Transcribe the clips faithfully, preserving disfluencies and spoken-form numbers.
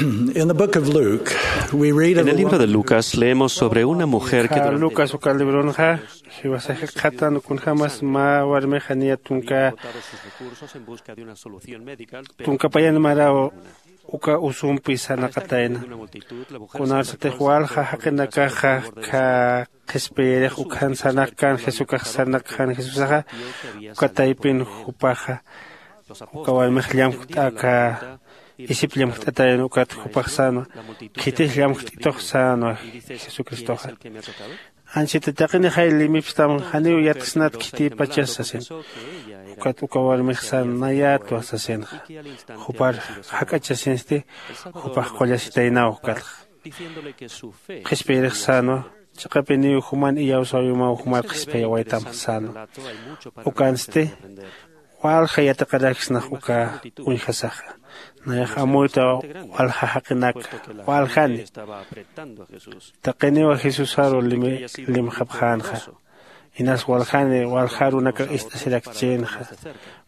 In the book of Luke, we read of En a el libro woman de Lucas leemos sobre una mujer que durante Lucas uka libronxa jiwasax jikxatan kunjämas mä warmix janiya tunka, tunka payan maraw uka usumpi sarnaqatayna. Kunarsatix walja jaqinakaxa qhispiyirix ukhan sarnaqkan, jesukax sarnaqkan jesusaxa, uka taypin jupaxa uka warmix llamjt'aka, isip llamjt'atayna ukat jupax sänwa, khitix llamjt'itux sänwa jesucristoxa. Anchhita taqinixay limipstam, janiw yatksnat khitipachas sasin. Ukat uka warmix sän nayätwa sasinxa. Jupar jak'achasinsti jupax qullasitaynaw ukatxa. Qhispiyirix sänwa, chiqapiniw juman iyawsäwimaw jumar qhispiyawaytam sänwa. Ukansti walja yatiqaraksnax uka uñjasaxa. Nayax amuyta walja jaqinaka, waljani. Taqiniwa jesusaru limxapxänxa. Inas waljani walja arunakax ist'asirakchïnxa.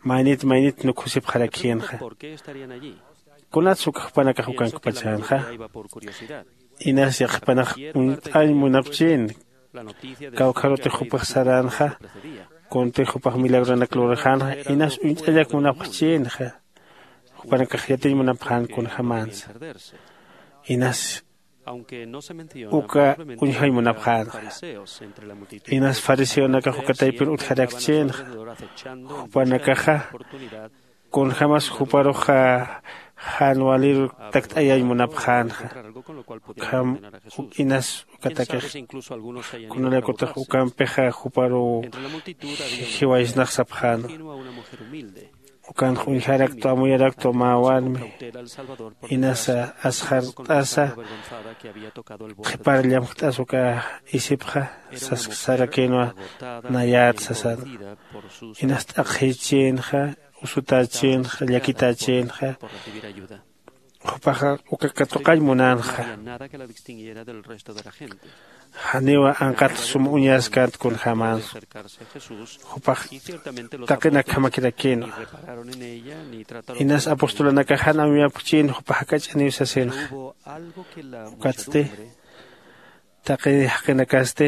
Maynit maynit nukhusipxarakïnxa. Kunatsa uka jupanakax ukankpachänxa? Inas yaqhipanax uñt'añ munapchïn. Kawkharutix jupax saränxa. Kuntix jupax milagronak lurxänxa. Inas uñt'añak munapxchïnxa. Jupanakax yatiñ munapxän kunjämansa. Inas uka uñjañ munapxänxa. Inas fariseonakax uka taypin utjarakchïnxa. Jupanakaxa kunjämas juparuxa jan waliru takt'ayañ munapxänxa. Ukham inas ukatakix kunalaykutix ukampixa juparuw jiwaysnax sapxänwa. Ukanx uñjaraktwa, amuyaraktu mä warmi. Inasa asxart'asa qhipar llamjt'as uka isipxa sasarakïnwa, nayät sasan. Inas t'aqhïchïnxa, usutächïnxa, llakitächïnxa. Jupaxa uka katuqañ munänxa. Janiwa anqat sum uñaskant kunjämänsa. Jupax taqinakjamakirakïnwa. Inas apostolanakax jan amuyapxchïn jupax jak'ach'aniw sasinxa. Ukatsti taqi jaqinakasti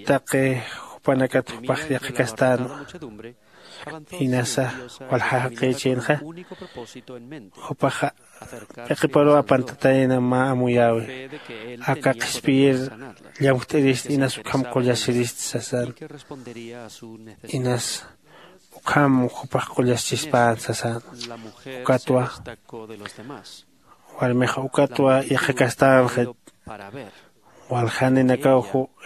taqi jupanakat jupax yaqhikastänwa. Inasa walja jaqïchïnxa. Jupaxa p'iqiparuw apantatayna mä amuyäwi. Aka qhispiyir llamjt'irist inas ukham qullasirist sasan. Inas ukham jupax qullaschispan sasan. Ukatwa warmixa ukatwa yaqhikastänxa. Waljaninakaw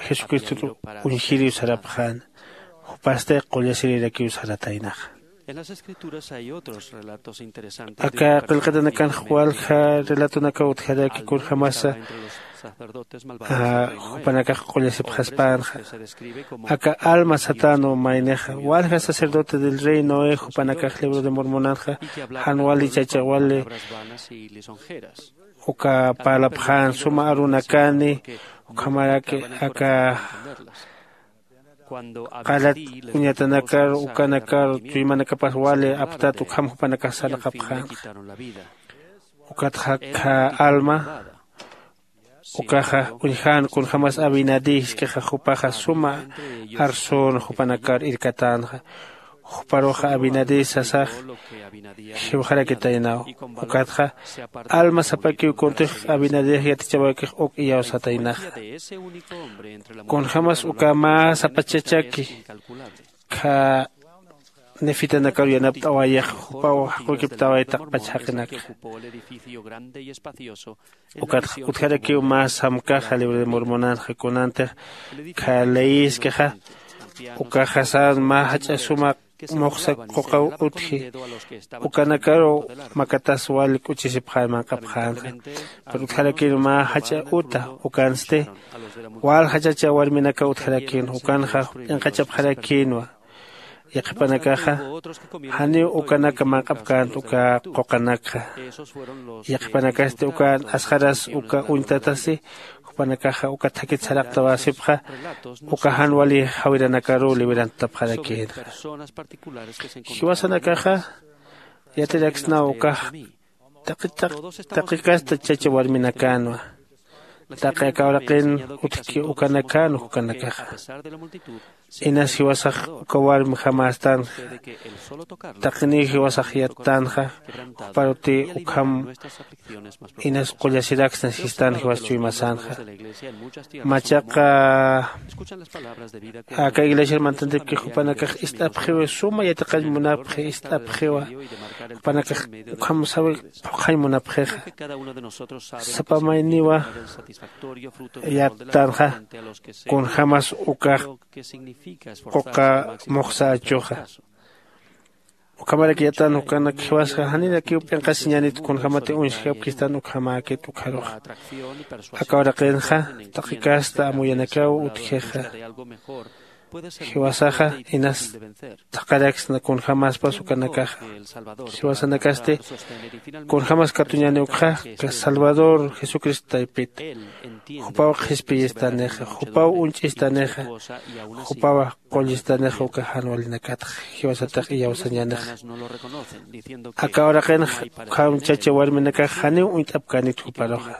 jesucristot uñjiriw sarapxän. Jupasti qullasirirakiw sarataynaxa. Aka qillqatanakanx walja relatonakaw utjaraki kunjämasa jupanakax qullasipxaspänxa. Aka alma satänwa maynixa walja sacerdote del rey noé jupanakax libro de mormonanxa jan wali chacha wali uka parlapxän suma arunakani ukhamaraki aka qalat uñatanakar ukanakar chuymanakapas wali aptat ukham jupanakax sarnaqapxänxa. Ukatxa alma ukaxa uñjän kunjämas abinadí jisk'ixa jupaxa suma arsüna jupanakar irkatänxa. Juparuxa abinadí sasax jiwxarakitaynaw. Ukatxa alma sapakiw kuntix abinadix yatichawakix uk iyawsataynaxa. Kunjämas uka mä sapachachaki kha nefitanakaru yanapt'awayix jupaw jaqukiptaway taqpach jaqinakxa. Ukatxa utjarakiw mä samkaxa libro de mormonanxa kunantix kha leyiskixa ukaxa sän mä jach'a suma muxsa quqaw utji. Ukanakaru makatas wal k'uchisipxän manq'apxänxa. Pero utjarakïnwa mä jach'a uta ukansti wal jachacha warminakaw utjarakïnwa ukanxa p'inqachapxarakïnwa. Yaqhipanakaxa janiw ukanaka manq'apkänti uka quqanakxa. Yaqhipanakasti ukan asxaras uka uñtatasi jupanakaxa uka thakit saraqtawasipxa uka jan wali jawiranakaruw liberantapxarakïnxa. Jiwasanakaxa Yatiraksnaw ukax taqi taqi kasta chacha warminakänwa. Taqi aka uraqin utjki ukanakän jukanakaxa. Inas jiwasax uka warmjamästänxa. Taqiniw jiwasax yattänxa. Juparuti ukham inas qullasiraksna sistan jiwas chuymasänxa. Machaqa aka iglesiar mantantipki jupanakax ist'apxiwi suma yatiqañ munapxi ist'apxiwa. Jupanakax ukham sawi phuqhañ munapxixa. Sapa mayniwa yattanxa kunjämas ukax quqa muxsa achuxa. Ukhamarak yatan ukanak jiwasxa janirakiw p'inqasiñänit kunjämati uñsjapkistan ukhamäkit ukharuxa. Aka uraqinxa taqi kasta amuyanakaw utjixa. Jiwasaxa inas thaqharaksna kunjämaspas ukanakaxa. Jiwasanakasti kunjämas katuñäni ukxa salvador jesucristo taypita. Jupaw qhispiyistanixa jupaw uñch'istanixa. Jupawa qullistanixa uka jan walinakatxa. Jiwasatax iyawsañänixa. Aka uraqinxa ukham chacha warminakax janiw uñt'apkänit juparuxa.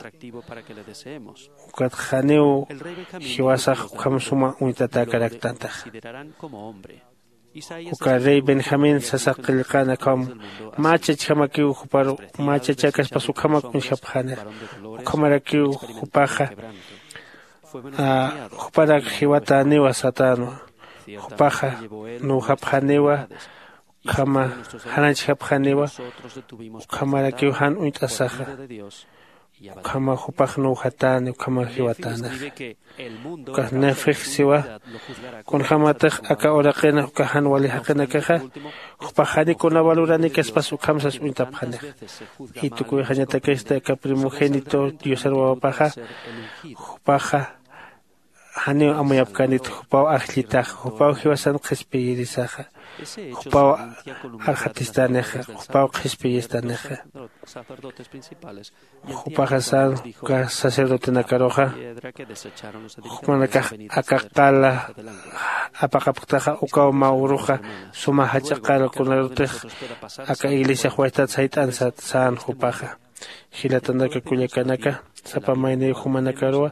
Ukat janiw jiwasax ukham suma uñtatäkaraktantaxa. Uka rey benjamín sasax qillqan akham mä chachjamakiw juparu mä chachäkaspas ukhamak uñjapxänixa. Ukhamarakiw jupaxa juparak jiwatäniwa satänwa. Jupaxa nuwjapxäniwa ukhama jananchjapxäniwa. Ukhamarakiw jan uñt'asaxa. Ukhama jupax nuwjatäni ukhama jiwatänixa. Ukax nefix siwa kunjämatix aka uraqina uka jan wali jaqinakaxa jupax jani kuna valoranikispasa ukham sas uñtapxanixa. Y tukuyxañatakista aka primogénito diosar wawapaxa jupaxa janiw amuyapkänit jupaw ajllitaxa jupaw jiwasan qhispiyirisaxa. Jupaw arxatistänixa jupaw qhispiyistanixa. Jupaxa san uka sacerdotenakaruxa jumanakax aka qala apaqapktaxa ukaw mä uruxa suma jach'a qala kunarutix aka iglesiax waytat sayt'an sat sän jupaxa. Jilatanaka kullakanaka sapa mayniw jumanakaruwa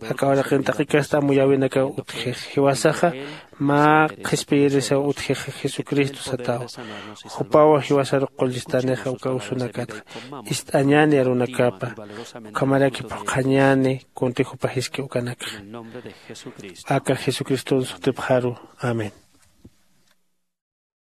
aka uraqin taqi kasta amuyäwinakaw utjix. Jiwasaxa mä qhispiyirisaw utjixa jesucristo satawa. Jupawa jiwasaru qullistanixa uka usunakatxa ist'añäni arunakapa ukhamaraki phuqhañäni kunti jupa jiski ukanakxa. Aka jesucriston sutipxaru. Amén.